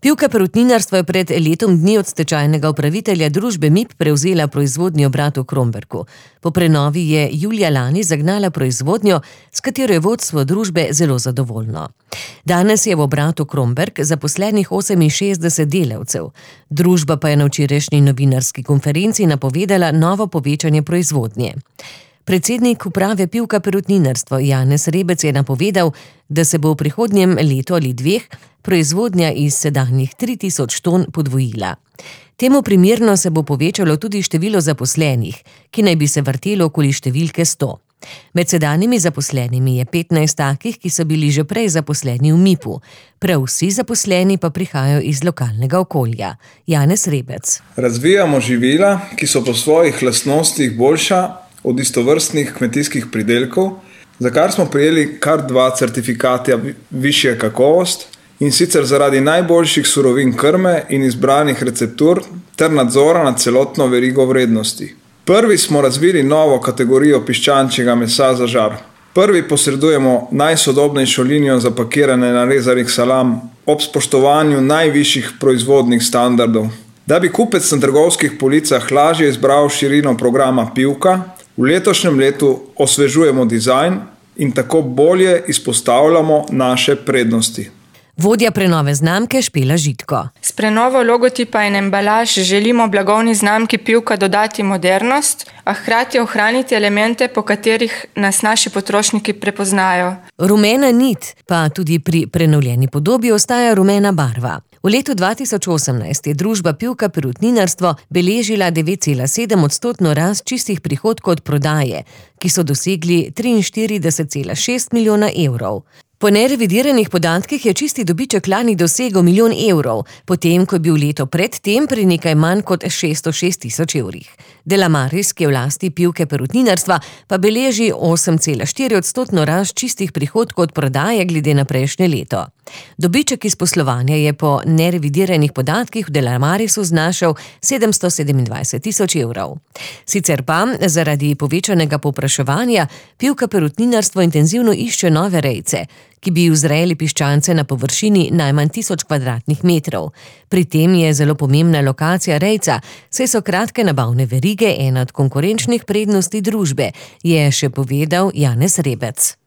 Pivka Perutninarstvo je pred letom dni od stečajnega upravitelja družbe MIP prevzela proizvodnjo obratu Kromberku. Po prenovi je julija lani zagnala proizvodnjo, s katero je vodstvo družbe zelo zadovoljno. Danes je v obratu Kromberk zaposlenih 68 delavcev. Družba pa je na včerajšnji novinarski konferenci napovedala novo povečanje proizvodnje. Predsednik uprave Pivka Perutninarstvo Janez Rebec je napovedal, da se bo v prihodnjem letu ali dveh proizvodnja iz sedanjih 3000 ton podvojila. Temu primerno se bo povečalo tudi število zaposlenih, ki naj bi se vrtelo okoli številke 100. Med sedanjimi zaposlenimi je 15 takih, ki so bili že prej zaposleni v MIP-u. Prav vsi zaposleni pa prihajajo iz lokalnega okolja. Janez Rebec. Razvijamo živila, ki so po svojih lastnostih boljša od istovrstnih kmetijskih pridelkov, za kar smo prejeli kar 2 certifikata višje kakovost, in sicer zaradi najboljših surovin krme in izbranih receptur ter nadzora nad celotno verigo vrednosti. Prvi smo razvili novo kategorijo piščančjega mesa za žar. Prvi posredujemo najsodobnejšo linijo zapakirane narezanih salam ob spoštovanju najvišjih proizvodnih standardov. Da bi kupec na trgovskih policah lažje izbral širino programa Pivka, v letošnjem letu osvežujemo dizajn in tako bolje izpostavljamo naše prednosti. Vodja prenove znamke Špela Žitko. S prenovo logotipa in embalaž želimo blagovni znamki Pivka dodati modernost, a hkrati ohraniti elemente, po katerih nas naši potrošniki prepoznajo. Rumena nit, pa tudi pri prenovljeni podobi ostaja rumena barva. V letu 2018 je družba Pivka Perutninarstvo beležila 9,7% rast čistih prihodkov od prodaje, ki so dosegli 43,6 milijona evrov. Po nerevidiranih podatkih je čisti dobiček lani dosegel 1 milijon evrov, potem ko je bil leto pred tem pri nekaj manj kot 606 tisoč evrih. Delamaris, ki je v lasti Pivke Perutninarstva, pa beleži 8,4% rast čistih prihodkov od prodaje glede na prejšnje leto. Dobiček iz poslovanja je po nerevidiranih podatkih v Delamarisu znašal 727 tisoč evrov. Sicer pa zaradi povečanega povpraševanja Pivka Perutninarstvo intenzivno išče nove rejce, ki bi vzrejali piščance na površini najmanj 1000 kvadratnih metrov. Pri tem je zelo pomembna lokacija rejca, saj so kratke nabavne verige ena od konkurenčnih prednosti družbe, je še povedal Janez Rebec.